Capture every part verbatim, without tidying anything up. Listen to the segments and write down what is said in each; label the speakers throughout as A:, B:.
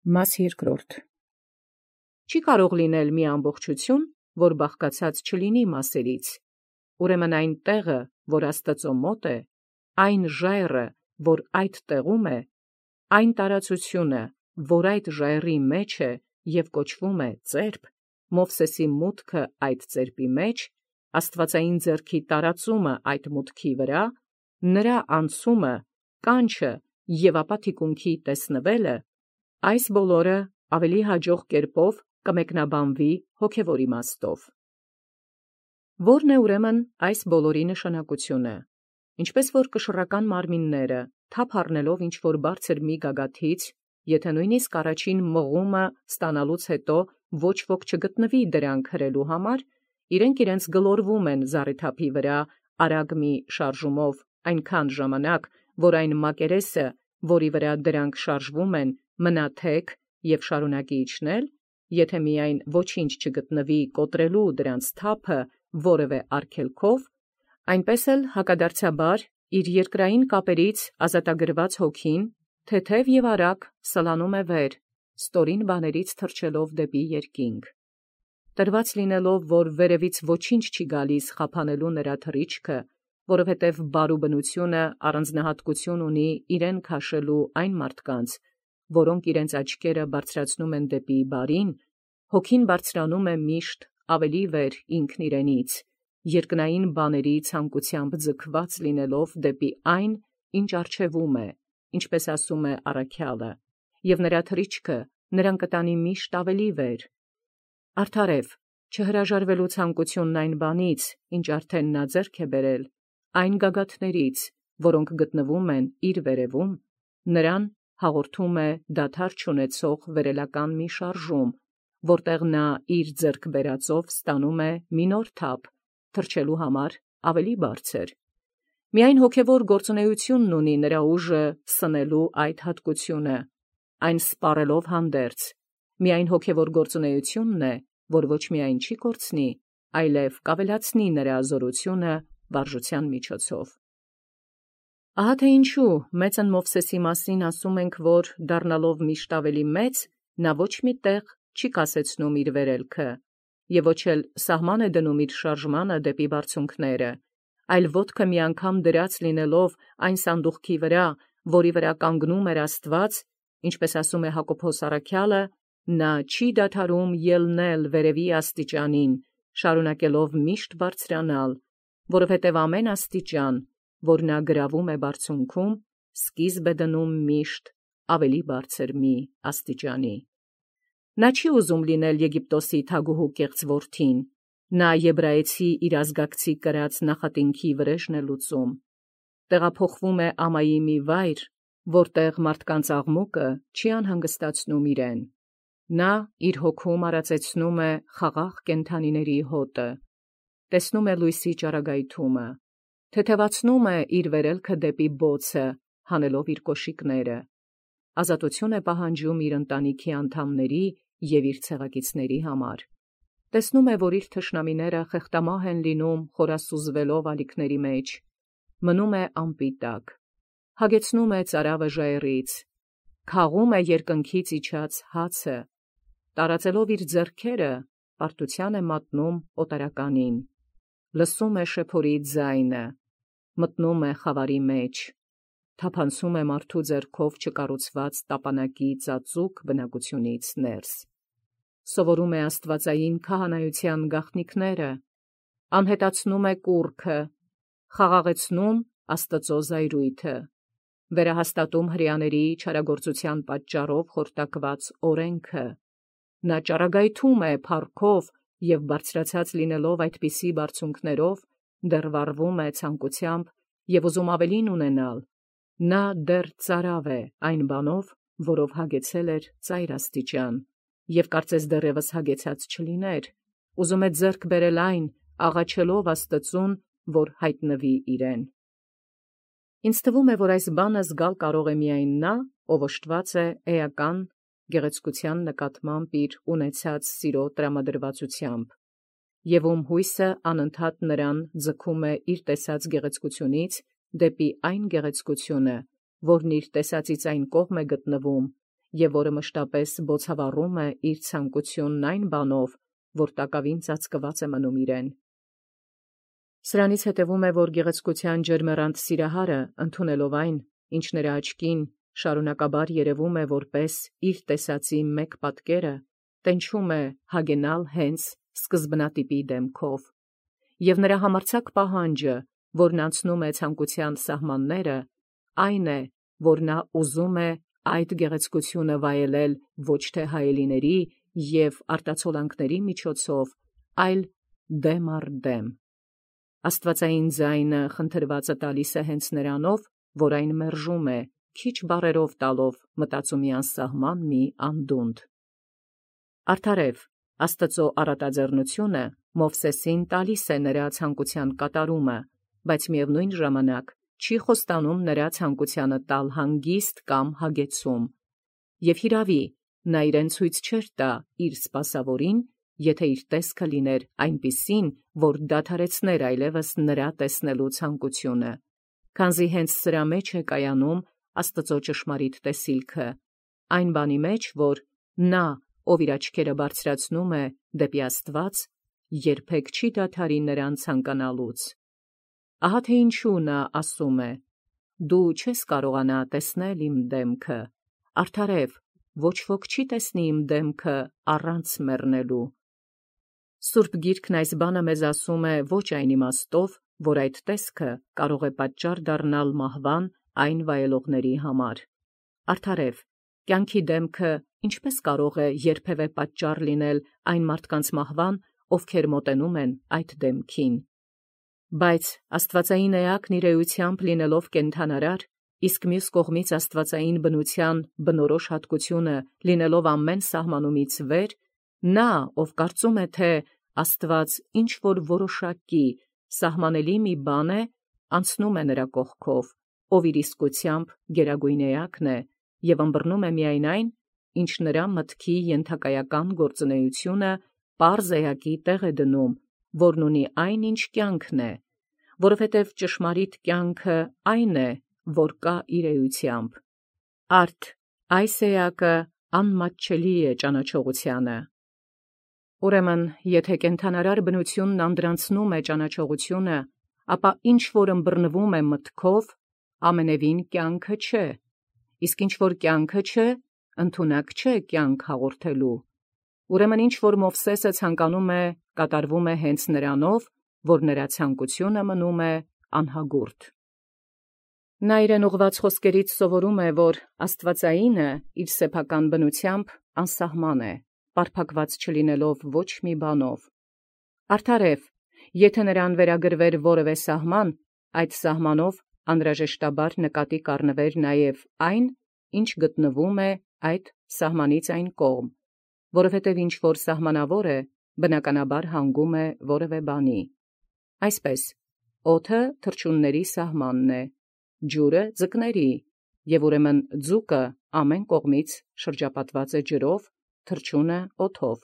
A: Մաս երկրորդ. Չի կարող լինել մի ամբողջություն, որ բաղկացած չլինի մասերից. ուրեմն այն տեղը, որ Աստուծո մոտ է, այն ժայռը, որ այդ տեղում է, այն տարածությունը, որ այդ ժայռի մեջ է և կոչվում է ծերպ, Մովսեսի մուտքը այդ ծերպի մեջ, աստվածային ձեռքի տարածումը այդ մուտքի վրա, նրա անցումը, կանչը և ապա թիկունքի տեսնվելը, այս բոլորը ավելի հաջող կերպով կմեկնաբանվի հոգևոր իմաստով։ Ո՞րն է ուրեմն այս բոլորի նշանակությունը։ Ինչպես որ կշռական մարմինները, թափ առնելով ինչ-որ բարձր մի գագաթից, եթե նույնիսկ առաջին մղումը ստանալուց հետո ոչ ոք չգտնվի դրանք հրելու համար, իրենք իրենց գլորվում են զառիթափի վրա արագ մի շարժումով այնքան ժամանակ, որ այն մակերեսը, որի վրա դրանք շարժվում են, մնա թեք և շարունակի իջնել, եթե միայն ոչինչ չգտնվի կոտրելու դրանց թափը որևէ արգելքով, այնպես էլ հակադարձաբար իր երկրային կապերից ազատագրված հոգին թեթև և արագ սլանում է վեր, ստորին բաներից թռչելով դեպի երկինք։ Տրված լինելով, որ վերևից ոչինչ չի գալիս խափանելու նրա թռիչքը, որովհետև բարու բնությունը առանձնահատկություն ունի իրեն քաշելու այն մարդկանց, որոնք իրենց աչքերը բարձրացնում են դեպի բարին, հոգին բարձրանում է միշտ ավելի վեր ինքն իրենից, երկնային բաների ցանկությամբ ձգված լինելով դեպի այն, ինչ առջևում է, ինչպես ասում է առաքյալը, և նրա թռիչքը նրան կտանի միշտ ավելի վեր։ Արդարև, չհրաժարվելու ցանկությունն այն բանից, ինչ արդեն նա ձեռք է բերել, այն գագաթներից, որոնք գտնվում են իր վերևում, նրան հաղորդում է դադար չունեցող վերելական մի շարժում, որտեղ նա իր ձեռք բերածով ստանում է մի նոր թափ, թռչելու համար ավելի բարձր։ Միայն հոգևոր գործունեությունն ունի նրա ուժը սնելու այդ հատկությունը, այն սպառելով հանդերձ, միայն հոգևոր գործունեությունն է, որ ոչ միայն չի կորցնի, այլև կավելացնի նրա զորությունը վարժության միջոցով։ Ահա թե ինչու մեծն Մովսեսի մասին ասում ենք, որ դառնալով միշտ ավելի մեծ, նա ոչ մի տեղ չի կասեցնում իր վերելքը, և ոչ էլ սահման է դնում իր շարժմանը դեպի բարձունքները, այլ ոտքը մի անգամ դրած լինելով այն սանդուղքի վրա, որի վրա կանգնում էր Աստված, ինչպես ասում է Հակոբոս առաքյալը, նա չի դադարում ելնել վերևի աստիճանին, շարունակելով միշտ բարձրանալ, որովհետև ամեն աստիճան, որ նա գրավում է բարձունքում, սկիզբ է դնում միշտ ավելի բարձր մի աստիճանի։ Նա չի ուզում լինել Եգիպտոսի թագուհու կեղծ որդին, նա եբրայեցի իր ազգակցի կրած նախատինքի վրեժն է լուծում, տեղափոխվում է ամայի մի վայր, որտեղ մարդկանց աղմուկը չի անհանգստացնում իրեն։ Նա իր հոգում արածեցնում է խաղաղ կենդանիների հոտը, տեսնում է լույսի ճառագայթումը, թեթևացնում է իր վերելքը դեպի բոցը, հանելով իր կոշիկները, ազատություն է պահանջում իր ընտանիքի անդամների և իր ցեղակիցների համար։ Տեսնում է, որ իր թշնամիները խեղդամահ են լինում խորասուզվելով ալիքների մեջ, մնում է անպիտակ, հագեցնում է ծարավը ժայռից, քաղում է երկնքից իջած հացը, տարածելով իր ձեռքերը, պարտության է մատնում օտարականին, լսում է շեփորի ձայնը, մտնում է խավարի մեջ, թափանցում է մարդու ձեռքով չկառուցված տապանակի ծածուկ բնակությունից ներս, սովորում է աստվածային քահանայության գաղտնիքները, անհետացնում է կուռքը, խաղաղեցնում Աստծո զայրույթը, վերահաստատում հրեաների չարագործության պատճառով խորտակված օրենքը, նա ճառագայթում է փառքով և բարձրացած լինելով այդպիսի բարձունքներով, դեռ վառվում է ցանկությամբ և ուզում ավելին ունենալ, նա դեռ ծարավ է այն բանով, որով հագեցել էր ծայր աստիճան, և կարծես դեռևս հագեցած չլիներ, ուզում է ձեռք բերել այն, աղաչելով Աստծուն, որ հայտնվի իրեն։ Ինձ թվում է, որ այս բանը զգալ կարող է միայն նա, ով օժտված է էական գեղեցկության նկատմամբ իր ունեցած սիրո տրամադրվածությամբ, և ում հույսը անընդհատ նրան ձգում է իր տեսած գեղեցկությունից դեպի այն գեղեցկությունը, որն իր տեսածից այն կողմ է գտնվում, եւ որը մշտապես բոցավառում է իր ցանկությունն այն բանով, որ տակավին ծածկված է մնում իրեն։ Սրանից հետևում է, որ գեղեցկության ջերմեռանդ սիրահարը, ընդունելով այն, ինչ նրա աչքին շարունակաբար երևում է որպես իր տեսածի մեկ պատկերը, տենչում է հագենալ հենց սկզբնատիպի դեմքով, եւ նրա համարձակ պահանջը, որն անցնում է ցանկության սահմանները, այն է, որ նա ուզում է այդ գեղեցկությունը վայելել ոչ թե հայելիների եւ արտացոլանքների միջոցով, այլ դեմ առ դեմ։ Աստվածային ձայնը խնդրվածը տալիս է հենց նրանով, որ այն մերժում է, քիչ բառերով տալով մտածումի անսահման մի անդունդ։ Արդարև, Աստծո առատաձեռնությունը Մովսեսին տալիս է նրա ցանկության կատարումը, բայց միևնույն ժամանակ չի խոստանում նրա ցանկությանը տալ հանգիստ կամ հագեցում, եւ հիրավի նա իրեն ցույց չէր տա իր սպասավորին, եթե իր տեսքը լիներ այնպիսին, որ դադարեցներ այլևս նրա տեսնելու ցանկությունը, քանզի հենց սրա մեջ է կայանում Աստծո ճշմարիտ տեսիլքը, այն բանի մեջ, որ նա, ով իր աչքերը բարձրացնում է դեպի Աստված, երբեք չի դադարի նրան ցանկանալուց։ Ահա թե ինչու նա ասում է. «Դու չես կարողանա տեսնել իմ դեմքը, արդարև, ոչ ոք չի տեսնի իմ դեմքը առանց մեռնելու»։ Սուրբ Գիրքն այս բանը մեզ ասում է ոչ այն իմաստով, որ այդ տեսքը կարող է պատճառ դառնալ մահվան այն վայելողների համար։ Արդարև, կյանքի դեմքը ինչպես կարող է երբևէ պատճառ լինել այն մարդկանց մահվան, ովքեր մոտենում են այդ դեմքին։ Բայց աստվածային էակն իր էությամբ լինելով կենդանարար, իսկ մյուս կողմից աստվածային բնության բնորոշ հատկությունը լինելով ամեն սահմանումից վեր, նա, ով կարծում է, թե Աստված ինչ-որ որոշակի սահմանելի մի բան է, անցնում է նրա կողքով, ով իր իսկությամբ գերագույն էակն է, և ըմբռնում է միայն այն, ինչ նրա մտքի ենթակայական գործունեությունը պարզ էակի տեղ է դնում, որն ունի այն, ինչ կյանքն է, որովհետև ճշմարիտ կյանքը այն է, որ կա իր էությամբ։ Արդ այս էակը անմատչելի է ճանաչողությանը։ Ուրեմն, եթե կենդանարար բնությունն անդրանցնում է ճանաչողությունը, ապա ինչ որ ըմբռնվում է մտքով, ամենևին կյանքը չէ, իսկ ինչ որ կյանքը չէ, ընդունակ չէ կյանք հաղորդելու։ Ուրեմն ինչ որ Մովսեսը ցանկանում է, կատարվում է հենց նրանով, որ նրա ցանկությունը մնում է անհագուրդ։ Նա իրեն ուղված խոսքերից սովորում է, որ աստվածայինը իր սեփական բնությամբ անսահման է, պարփակված չլինելով ոչ մի բանով։ Արդարև, եթե նրան վերագրվեր որևէ սահման, այդ սահմանով անհրաժեշտաբար նկատի կառնվեր նաև այն, ինչ գտնվում է այդ սահմանից այն կողմ, որովհետև ինչ որ սահմանավոր է, բնականաբար հանգում է որևէ բանի։ Այսպես, օդը թռչունների սահմանն է, ջուրը ձկների, և ուրեմն ձուկը ամեն կողմից շրջապատված է ջրով, թռչունը օդով։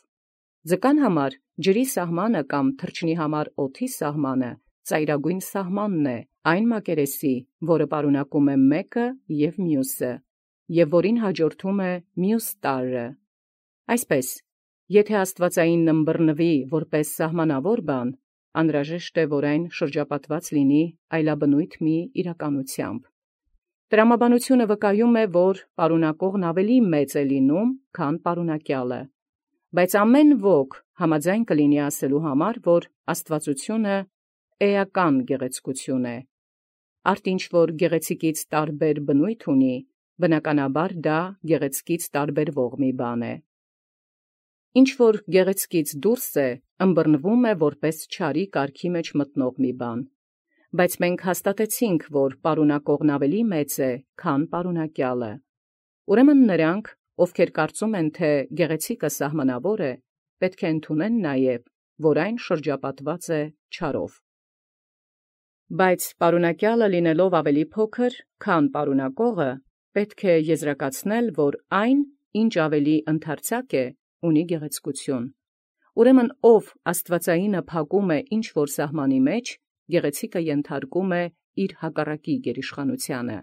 A: Ձկան համար ջրի սահմանը կամ թռչնի համար օդի սահմանը ծայրագույն սահմանն է, այն մակերեսի, որը պարունակում է մեկը և մյուսը, և որին հաջորդում է մյուս տարրը։ Այսպես, եթե աստվածայինն ըմբռնվի որպես սահմանավոր բան, անհրաժեշտ է, որ այն շրջապատված լինի այլաբնույթ մի իրականությամբ։ Տրամաբանությունը վկայում է, որ պարունակողն ավելի մեծ է լինում, քան պարունակյալը, բայց ամեն ոք համաձայն կլինի ասելու համար, որ աստվածությունը էական գեղեցկություն է։ Արդ ինչ որ գեղեցիկից տարբեր բնույթ ունի, բնականաբար դա գեղեցկից տարբերվող մի բան է։ Ինչ որ գեղեցկից դուրս է, ըմբռնվում է որպես չարի կարգի մեջ մտնող մի բան, բայց մենք հաստատեցինք, որ պարունակողն ավելի մեծ է, քան պարունակյալը։ Ուրեմն նրանք, ովքեր կարծում են, թե գեղեցիկը սահմանավոր է, պետք է ընդունեն նաև, որ այն շրջապատված է չարով։ Բայց պարունակյալը լինելով ավելի փոքր, քան պարունակողը, պետք է եզրակացնել, որ այն, ինչ ավելի ընդարձակ է, ունի գեղեցկություն։ Ուրեմն ով աստվածայինը փակում է ինչ որ սահմանի մեջ, գեղեցիկը ենթարկում է իր հակառակի գերիշխանությանը։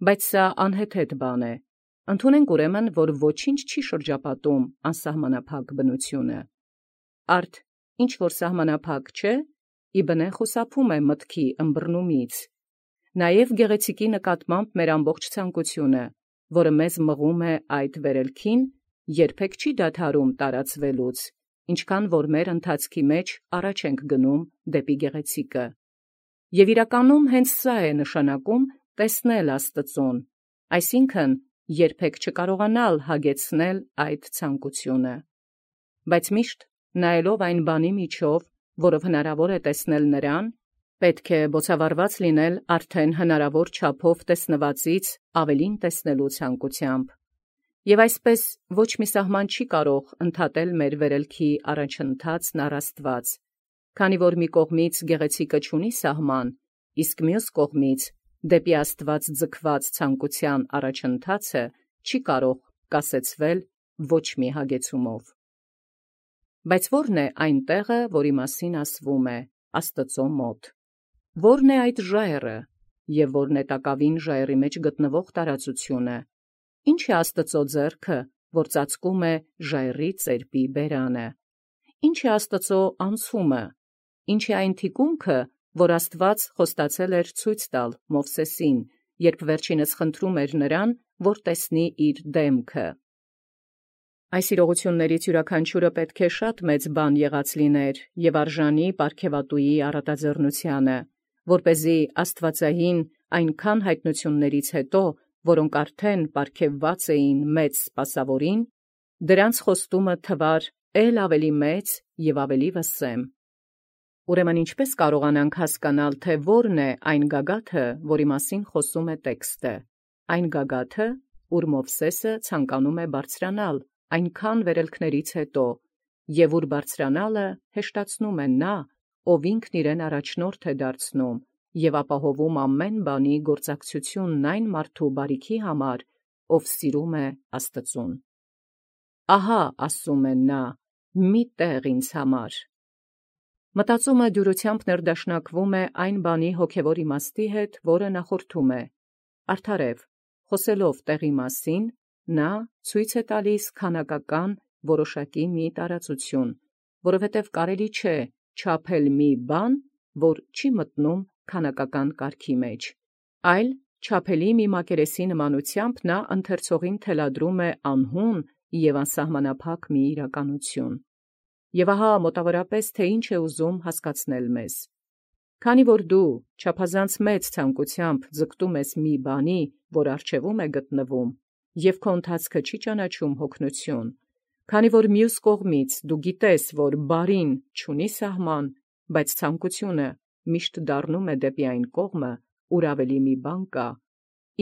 A: Բայց սա անհեթեթ բան է, Ընդունենք ուրեմն, որ ոչինչ չի շրջապատում անսահմանափակ բնությունը։ Արդ ինչ որ սահմանափակ չէ, իբնե խուսափում է մտքի ըմբռնումից։ Նաև գեղեցիկի նկատմամբ մեր ամբողջ ցանկությունը, որը մեզ մղում է այդ վերելքին, երբեք չի դադարում տարածվելուց, ինչքան որ մեր ընթացքի մեջ առաջ ենք գնում դեպի գեղեցիկը։ Եվ իրականում հենց սա է նշանակում տեսնել Աստծուն, այսինքն երբեք չկարողանալ հագեցնել այդ ցանկությունը։ Բայց միշտ նայելով այն բանի միջով, որով հնարավոր է տեսնել նրան, պետք է բոցավառված լինել արդեն հնարավոր չափով տեսնվածից ավելին տեսնելու ցանկությամբ։ Եվ այսպես ոչ մի սահման չի կարող ընդհատել մեր վերելքի առաջընթացն առ Աստված, քանի որ մի կողմից գեղեցիկը չունի սահման, իսկ մյուս կողմից դեպի Աստված ձգված ցանկության առաջընթացը չի կարող կասեցվել ոչ մի հագեցումով։ Բայց ո՞րն է այն տեղը, որի մասին ասվում է Աստծո մոտ։ Ո՞րն է այդ ժայռը, և ո՞րն է տակավին ժայռի մեջ գտնվող տարածությունը։ Ինչ է Աստծո ձեռքը, որ ծածկում է ժայռի ծերպի բերանը։ Ինչ է Աստծո անցումը, ինչ է այն թիկունքը, որ Աստված խոստացել էր ցույց տալ Մովսեսին, երբ վերջինս խնդրում էր նրան, որ տեսնի իր դեմքը։ Այս իրողություններից յուրաքանչյուրը պետք է շատ մեծ բան եղած լիներ և արժանի պարգևատուի առատաձեռնությանը, որպեսզի աստվածային այնքան հայտնություններից հետո, որոնք արդեն պարգևված էին մեծ սպասավորին, դրանց խոստումը թվար էլ ավելի մեծ և ավելի վսեմ։ Ուրեմն ինչպե՞ս կարողանանք հասկանալ, թե ո՞րն է այն գագաթը, որի մասին խոսում է տեքստը։ Այն գագաթը, ուր Մովսեսը ցանկանում է բարձրանալ այնքան վերելքներից հետո, և ուր բարձրանալը հեշտացնում է նա, ով ինքն իրեն առաջնորդ է դարձնում և ապահովում ամեն բանի գործակցությունն այն մարդու բարիքի համար, ով սիրում է Աստծուն։ Ահա ասում է նա. մի տեղ ինձ համար։ Մտածումը դյուրությամբ ներդաշնակվում է այն բանի հոգևոր իմաստի հետ, որը նախորդում է։ Արդարև, խոսելով տեղի մասին, նա ցույց է տալիս քանակական որոշակի մի տարածություն, որովհետև կարելի չէ չափել մի բան, որ չի մտնում քանակական կարգի մեջ, այլ չափելի մի մակերեսի նմանությամբ նա ընթերցողին թելադրում է անհուն և անսահմանափակ մի իրականություն։ Եվ ահա մոտավորապես թե ինչ է ուզում հասկացնել մեզ։ Քանի որ դու չափազանց մեծ ցանկությամբ ձգտում ես մի բանի, որ առջևում է գտնվում, և քո ընթացքը չի ճանաչում հոգնություն, քանի որ մյուս կողմից դու գիտես, որ բարին չունի սահման, բայց ցանկությունը միշտ դառնում է դեպի այն կողմը, ուր ավելի մի բան կա,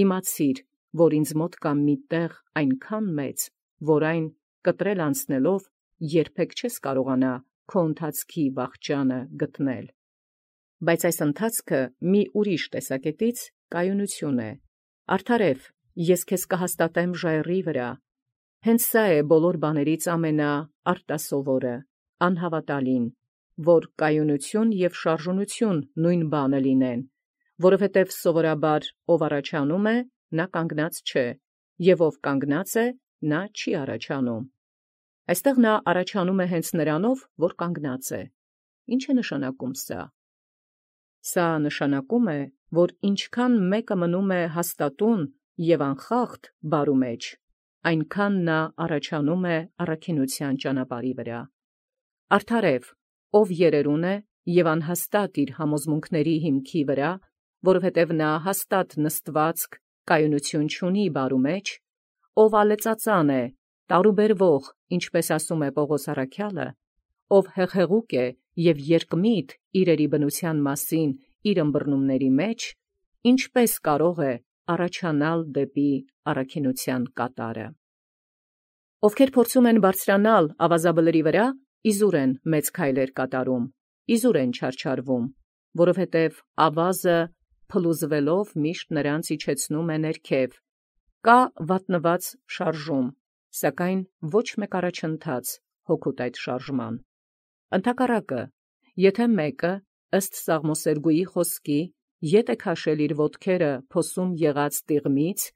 A: իմացիր, որ ինձ մոտ կա մի տեղ այնքան մեծ, որ այն կտրել անցնելով երբեք չես կարողանա քո ընթացքի վախճանը գտնել։ Բայց այս ընթացքը մի ուրիշ տեսակետից կայունություն է։ Արդարև, ես քեզ կհաստատեմ ժայռի վրա։ Հենց սա է բոլոր բաներից ամենաարտասովորը, անհավատալին, որ կայունություն և շարժունություն նույն բանը լինեն, որովհետև սովորաբար ով առաջանում է, նա կանգնած չէ, և ով կանգնած է, նա չի առաջանում։ Այստեղ նա առաջանում է հենց նրանով, որ կանգնած է։ Ինչ է նշանակում սա։ Սա նշանակում է, որ ինչքան մեկը մնում է հաստատուն և անխախտ բարու մեջ, այնքան նա առաջանում է առաքինության ճանապարհի վրա։ Արդարև, ով երերուն է և անհաստատ իր համոզմունքների հիմքի վրա, որովհետև նա հաստատ նստվածք կայունություն չունի բարու մեջ, ով ալեծածան է, տարուբերվող, ինչպես ասում է Պողոս առաքյալը, ով հեղեղուկ է և երկմիտ իրերի բնության մասին իր ըմբռնումների մեջ, ինչպես կարող է առաջանալ դեպի առաքինության կատարը։ Ովքեր փորձում են բարձրանալ ավազաբլրի վրա, իզուր են մեծ քայլեր կատարում, իզուր են չարչարվում, որովհետև ավազը փլուզվելով միշտ նրանց իջեցնում է ներքև, կա վատնված շարժում, սակայն ոչ մեկ առաջընթաց հօգուտ այդ շարժման։ Ընդհակառակը, եթե մեկը ըստ Սաղմոսերգուի խոսքի ետ է քաշել իր ոտքերը փոսում եղած տիղմից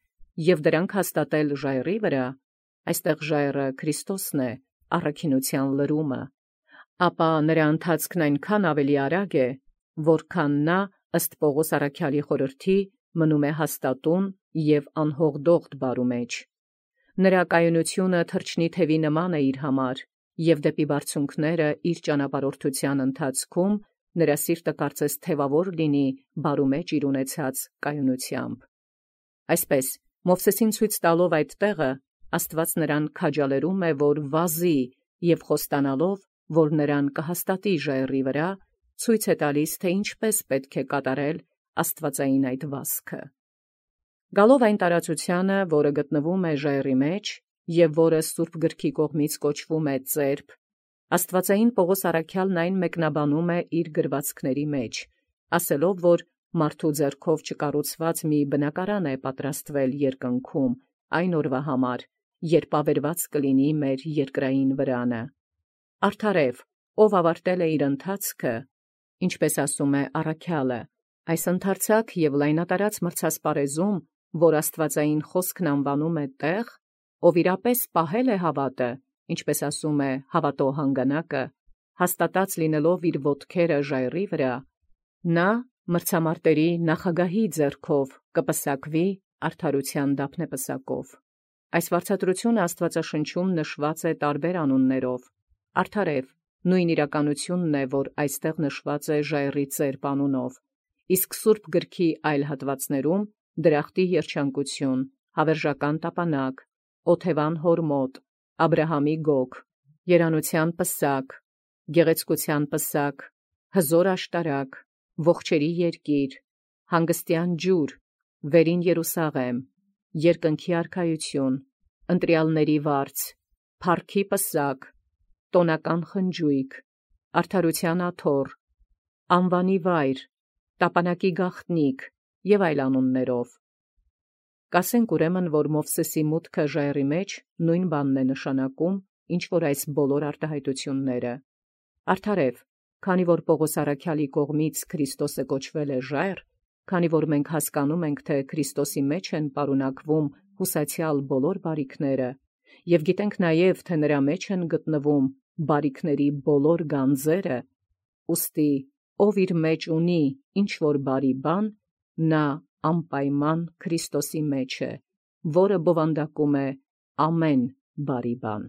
A: և դրանք հաստատել ժայռի վրա, այստեղ ժայռը Քրիստոսն է, առաքինութեան լրումը, ապա նրա ընթացքն այնքան ավելի արագ է, որքան նա ըստ Պողոս առաքյալի խորհրդի մնում է հաստատուն և անհողդողդ բարու մեջ։ Նրա կայունությունը թրջնի թևի նման է իր համար, և դեպի բարձունքները իր ճանապարհորդության ընթացքում նրա սիրտը կարծես թևավոր լինի բարու մեջ իր ունեցած կայունությամբ։ Այսպես, Մովսեսին ցույց տալով այդ տեղը, Աստված նրան քաջալերում է, որ վազի և խոստանալով, որ նրան կհաստատի ժայռի վրա, ցույց է տալիս, թե ինչպես պետք է կատարել աստվածային այդ վազքը։ Գալով այն տարածությանը, որը գտնվում է ժայռի մեջ, և որը Սուրբ գրքի կողմից կոչվում է ծերբ, աստվածային Պողոս առաքյալն այն մեկնաբանում է իր գրվածքների մեջ, ասելով, որ մարդու ձեռքով չկառուցված մի բնակարան է պատրաստվել երկնքում այն օրվա համար, երբ ավերված կլինի մեր երկրային վրանը։ Արդարև, ով ավարտել է իր ընթացքը, ինչպես ասում է առաքյալը, այս ընդարձակ և լայնատարած մրցասպարեզում, որ աստվածային խոսքն անվանում է տեղ, ով իրապես պահել է հավատը, ինչպես ասում է հավատո հանգանակը, հաստատած լինելով իր ոտքերը ժայռի վրա, նա մրցամարտերի նախագահի ձեռքով կպսակվի արդարության դափնեպսակով։ Այս վարձատրությունը Աստվածաշնչում նշված է տարբեր անուններով։ Արդարև նույն իրականությունն է, որ այստեղ նշված է ժայռի ծերբ անունով, իսկ Սուրբ գրքի այլ հատվածներում դրախտի երջանկություն, հավերժական տապանակ, օթևան հորմոտ, Աբրահամի գոգ, երանության պսակ, գեղեցկության պսակ, հզոր աշտարակ, ողջերի երկիր, հանգստյան ջուր, վերին Երուսաղեմ, երկնքի արքայություն, ընտրյալների վարձ, փառքի պսակ, տոնական խնջույք, արդարության աթոռ, անվանի վայր, տապանակի գաղտնիք և այլ անուններով։ Կասենք ուրեմն, որ Մովսեսի մուտքը ժայռի մեջ նույն բանն է նշանակում, ինչ որ այս բոլոր արտահայտությունները։ Արդարև, քանի որ Պողոս առաքյալի կողմից Քրիստոսը կոչվել է ժայռ, քանի որ մենք հասկանում ենք, թե Քրիստոսի մեջ են պարունակվում հուսացյալ բոլոր բարիքները, և գիտենք նաև, թե նրա մեջ են գտնվում բարիքների բոլոր գանձերը, ուստի ով իր մեջ ունի ինչ որ բարի բան, նա անպայման Քրիստոսի մեջ է, որը բովանդակում է ամեն բարի բան։